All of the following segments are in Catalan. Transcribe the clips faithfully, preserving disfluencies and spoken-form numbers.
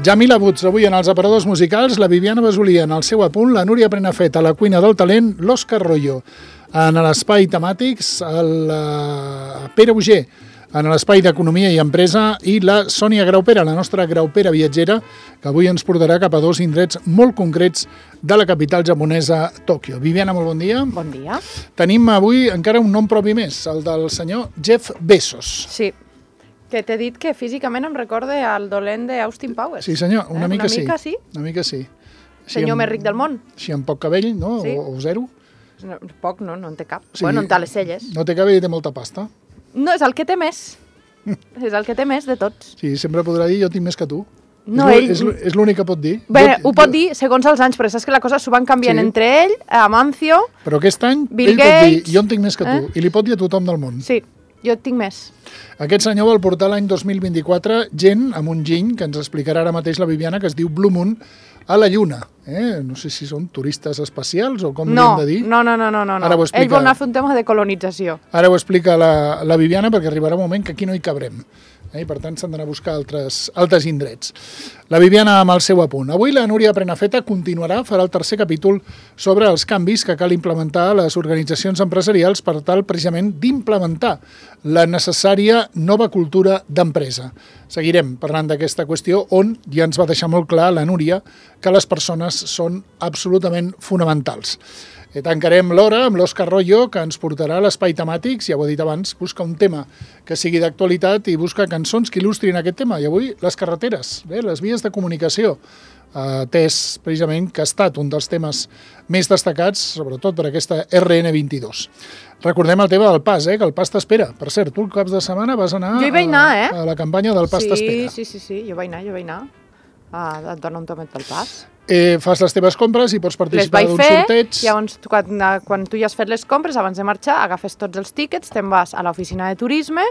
Jamila Woods, avui en els aparadors musicals, la Viviana Basolia en el seu apunt, la Núria Prenafeta a la cuina del talent, l'Òscar Royo en l'espai temàtics, el uh, Pere Auger en l'espai d'Economia i Empresa i la Sònia Graupera, la nostra graupera viatgera, que avui ens portarà cap a dos indrets molt concrets de la capital japonesa, Tòquio. Viviana, molt bon dia. Bon dia. Tenim avui encara un nom propi més, el del senyor Jeff Bezos. Sí, que t'he dit que físicament em recorde al dolent d'Austin Powers. Sí, senyor, una, eh? mica, una mica sí. sí. Una mica sí. Senyor més ric del món. Així amb poc cabell, no? Sí. O, o zero. No, poc, no? No en té cap. Sí. Bueno, en té les celles. No té cabell i té molta pasta. No, és el que té més. És el que té més de tots. Sí, sempre podrà dir jo tinc més que tu. No, és ell... És, és l'únic que pot dir. Bé, jo, ho pot jo... dir segons els anys, però saps que la cosa s'ho van canviant Sí. entre ell, Amancio... Però aquest any Bill ell pot dir Gates, jo en tinc més que tu. eh? I li pot dir a tothom del món. Sí, jo tinc més. Aquest senyor vol portar l'any dos mil vint-i-quatre gent amb un giny que ens explicarà ara mateix la Viviana, que es diu Blue Moon, a la Lluna. Eh? No sé si són turistes espacials o com No, li hem de dir. no, no, no, no, no. Ara ho explica. Ell vol anar a fer un tema de colonització. Ara ho explica la, la Viviana, perquè arribarà un moment que aquí no hi cabrem. Eh? I per tant s'han d'anar a buscar altres, altres indrets. La Viviana amb el seu apunt. Avui la Núria Prenafeta continuarà, farà el tercer capítol sobre els canvis que cal implementar a les organitzacions empresarials per tal precisament d'implementar la necessària nova cultura d'empresa. Seguirem parlant d'aquesta qüestió on ja ens va deixar molt clar la Núria que les persones són absolutament fonamentals. I tancarem l'hora amb l'Òscar Royo, que ens portarà a l'espai temàtics, ja ho he dit abans, busca un tema que sigui d'actualitat i busca cançons que il·lustrin aquest tema. I avui les carreteres, bé, les vies de comunicació, atès precisament que ha estat un dels temes més destacats, sobretot per aquesta erre ene vint-i-dos. Recordem el tema del pas, eh, que el pas t'espera. Per cert, tu el caps de setmana vas anar, Jo hi vaig anar, eh? a, a la campanya del pas sí, t'espera. Sí, sí, sí, jo vaig anar, jo vaig anar. Ah, et dona un tomet pel pas. Eh, fas les teves compres i pots Les participar vaig d'un fer, sorteig. llavors quan, quan tu ja has fet les compres, abans de marxar, agafes tots els tíquets, te'n vas a l'oficina de turisme,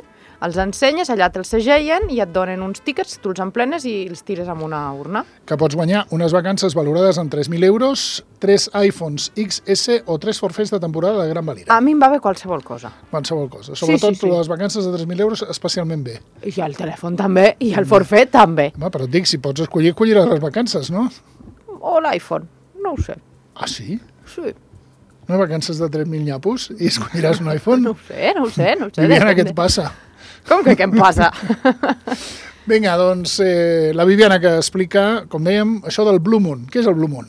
els ensenyes, allà te'ls segellen i et donen uns tíquets, tu els emplenes i els tires en una urna. Que pots guanyar unes vacances valorades en tres mil euros, tres iPhones ics esse o tres forfets de temporada de gran valira. A mi em va bé qualsevol cosa. Qualsevol cosa. Sobretot sí, sí. les vacances de tres mil euros especialment bé. I el telèfon també, i el forfet també. Home, però et dic, si pots escollir, colliràs les vacances, no? O l'iPhone, no ho sé. Ah, sí? Sí. Unes vacances de tres mil nyapos i escolliràs un iPhone? No ho sé, no ho sé, no ho sé. Viviana, depèn què et de- passa? Com que què em passa? Vinga, doncs, eh, la Viviana que explica, com dèiem, això del Blue Moon. Què és el Blue Moon?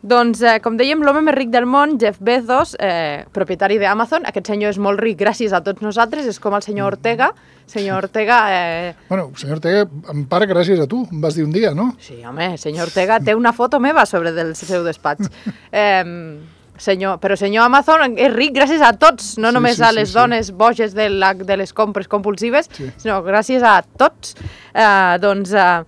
Doncs, eh, com dèiem, l'home més ric del món, Jeff Bezos, eh, propietari d'Amazon. Aquest senyor és molt ric gràcies a tots nosaltres, és com el senyor Ortega. Senyor Ortega... Eh... Bueno, senyor Ortega, en part gràcies a tu, em vas dir un dia, no? Sí, home, senyor Ortega té una foto meva sobre del seu despatx. Eh, senyor, però senyor Amazon és ric gràcies a tots, no Sí, només sí, a sí, les sí. dones boges de, la, de les compres compulsives, Sí. sinó gràcies a tots. Eh, doncs... Eh,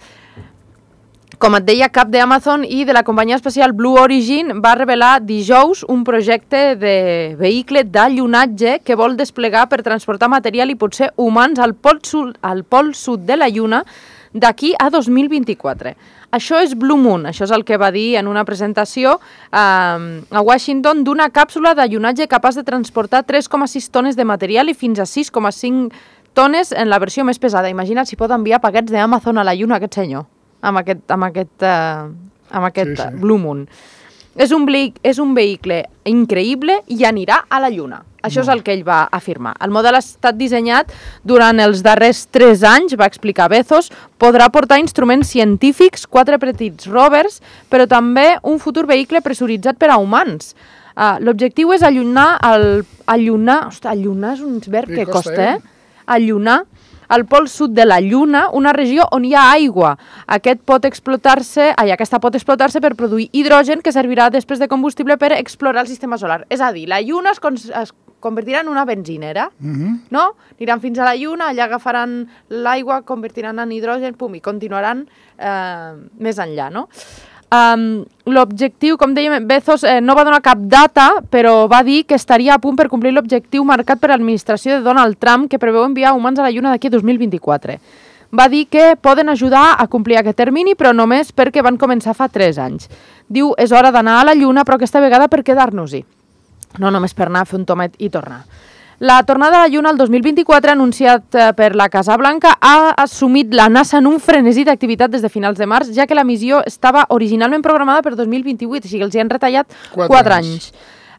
Com et deia, cap d'Amazon i de la companyia espacial Blue Origin va revelar dijous un projecte de vehicle d'allunatge que vol desplegar per transportar material i potser humans al pol sud, al pol sud de la Lluna d'aquí a dos mil vint-i-quatre. Això és Blue Moon, això és el que va dir en una presentació eh, a Washington d'una càpsula d'allunatge capaç de transportar tres coma sis tones de material i fins a sis coma cinc tones en la versió més pesada. Imagina't si pot enviar paquets d'Amazon a la Lluna aquest senyor. amb aquest, amb aquest, uh, amb aquest Sí, sí. Blue Moon. És un, és un vehicle increïble i anirà a la Lluna. Això és el que ell va afirmar. El model ha estat dissenyat durant els darrers tres anys, va explicar Bezos, podrà portar instruments científics, quatre petits rovers, però també un futur vehicle pressuritzat per a humans. Uh, L'objectiu és allunar, el, allunar, ostres, allunar és un verb Sí, que costa, costa, eh? eh? Allunar al pol sud de la Lluna, una regió on hi ha aigua. Aquest pot explotar-se, ai, aquesta pot explotar-se per produir hidrogen que servirà després de combustible per explorar el sistema solar. És a dir, la Lluna es, con es convertirà en una benzinera, Mhm. no? Aniran fins a la Lluna, allà agafaran l'aigua, convertiran en hidrogen, pum, i continuaran eh, més enllà, no? Um, l'objectiu, com dèiem, Bezos eh, no va donar cap data, però va dir que estaria a punt per complir l'objectiu marcat per l'administració de Donald Trump, que preveu enviar humans a la Lluna d'aquí a dos mil vint-i-quatre. Va dir que poden ajudar a complir aquest termini, però només perquè van començar fa tres anys. Diu, és hora d'anar a la Lluna, però aquesta vegada per quedar-nos-hi. No només per anar a fer un tomet i tornar. La tornada a la Lluna el dos mil vint-i-quatre, anunciat per la Casa Blanca, ha assumit la NASA en un frenesí d'activitat des de finals de març, ja que la missió estava originalment programada per dos mil vint-i-vuit, o sigui, els hi han retallat quatre anys.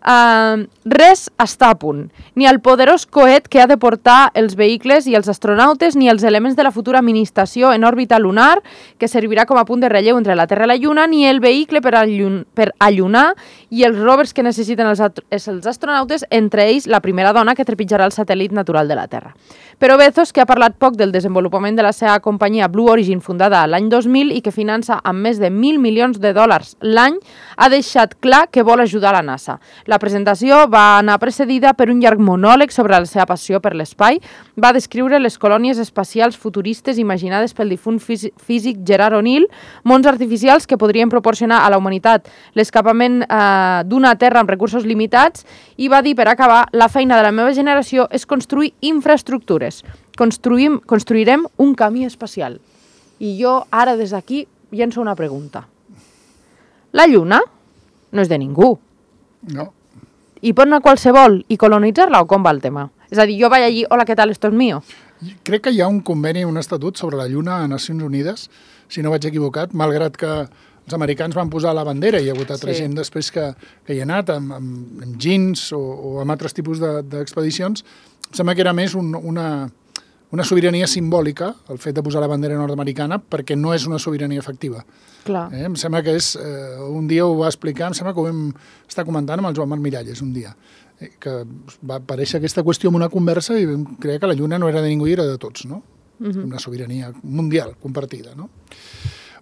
Uh, res està a punt. Ni el poderós coet que ha de portar els vehicles i els astronautes, ni els elements de la futura administració en òrbita lunar, que servirà com a punt de relleu entre la Terra i la Lluna, ni el vehicle per, allun per allunar i els rovers que necessiten els, els astronautes, entre ells la primera dona que trepitjarà el satèl·lit natural de la Terra. Però Bezos, que ha parlat poc del desenvolupament de la seva companyia Blue Origin, fundada l'any dos mil i que finança amb més de mil milions de dòlars l'any, ha deixat clar que vol ajudar la NASA. La presentació va anar precedida per un llarg monòleg sobre la seva passió per l'espai. Va descriure les colònies espacials futuristes imaginades pel difunt físic Gerard O'Neill, mons artificials que podrien proporcionar a la humanitat l'escapament eh, d'una Terra amb recursos limitats, i va dir, per acabar, la feina de la meva generació és construir infraestructures. Construïm, construirem un camí espacial. I jo ara des d'aquí llenço una pregunta. La Lluna no és de ningú. No. I pot anar qualsevol i colonitzar-la, o com va el tema? És a dir, jo vaig allí, hola, què tal, esto es mío? Crec que hi ha un conveni, un estatut sobre la Lluna a Nacions Unides, si no vaig equivocat, malgrat que els americans van posar la bandera i hi ha hagut altra sí. gent després que, que hi ha anat amb, amb, amb jeans o, o amb altres tipus d'expedicions. De, em sembla que era més un, una, una sobirania simbòlica, el fet de posar la bandera nord-americana, perquè no és una sobirania efectiva. Clar. Eh? Em sembla que és, eh, un dia ho va explicar, em sembla que ho vam estar comentant amb el Joan Marc Miralles un dia, eh, que va aparèixer aquesta qüestió en una conversa i vam creure que la Lluna no era de ningú i era de tots, no? Uh-huh. Una sobirania mundial compartida, no?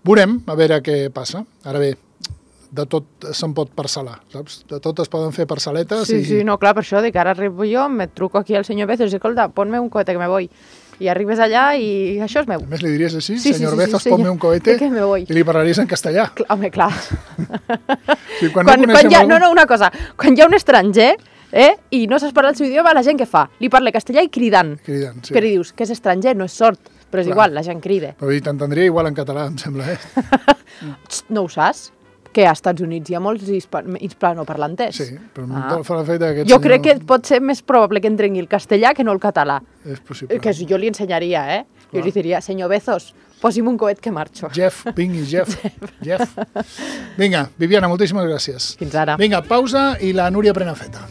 Veurem a veure què passa. Ara bé, de tot se'n pot parcel·lar, saps? De tot es poden fer parcel·letes. Sí, i... sí, no, clar, per això, dic, ara arribo jo, me truco aquí al senyor Bezos i escolta, ponme un cohete que me voy. I arribes allà i això és meu. A més li diries així, sí, senyor sí, sí, Bezos, sí, ponme un cohete, que me voy. I li parlaries en castellà. Clar, home, clar. Sí, quan quan, no quan hi ha, algú... no, no, una cosa, quan hi ha un estranger eh, i no saps parlar el seu idioma, la gent què fa? Li parla castellà i cridant. Cridant, sí. Però dius que és estranger, no és sord, però és clar. Igual, la gent crida. Però t'entendria igual en català, em sembla, eh? No ho saps? Que als Estats Units hi ha molts hispanoparlanters. Sí, però ah. fa la feita aquest Jo senyor... crec que pot ser més probable que entengui el castellà que no el català. És possible. Que jo li ensenyaria, eh? Clar. Jo li diria, senyor Bezos, posi'm un coet que marxo. Jeff, vingui, Jeff. Jeff. Vinga, Viviana, moltíssimes gràcies. Fins ara. Vinga, pausa i la Núria Prenafeta.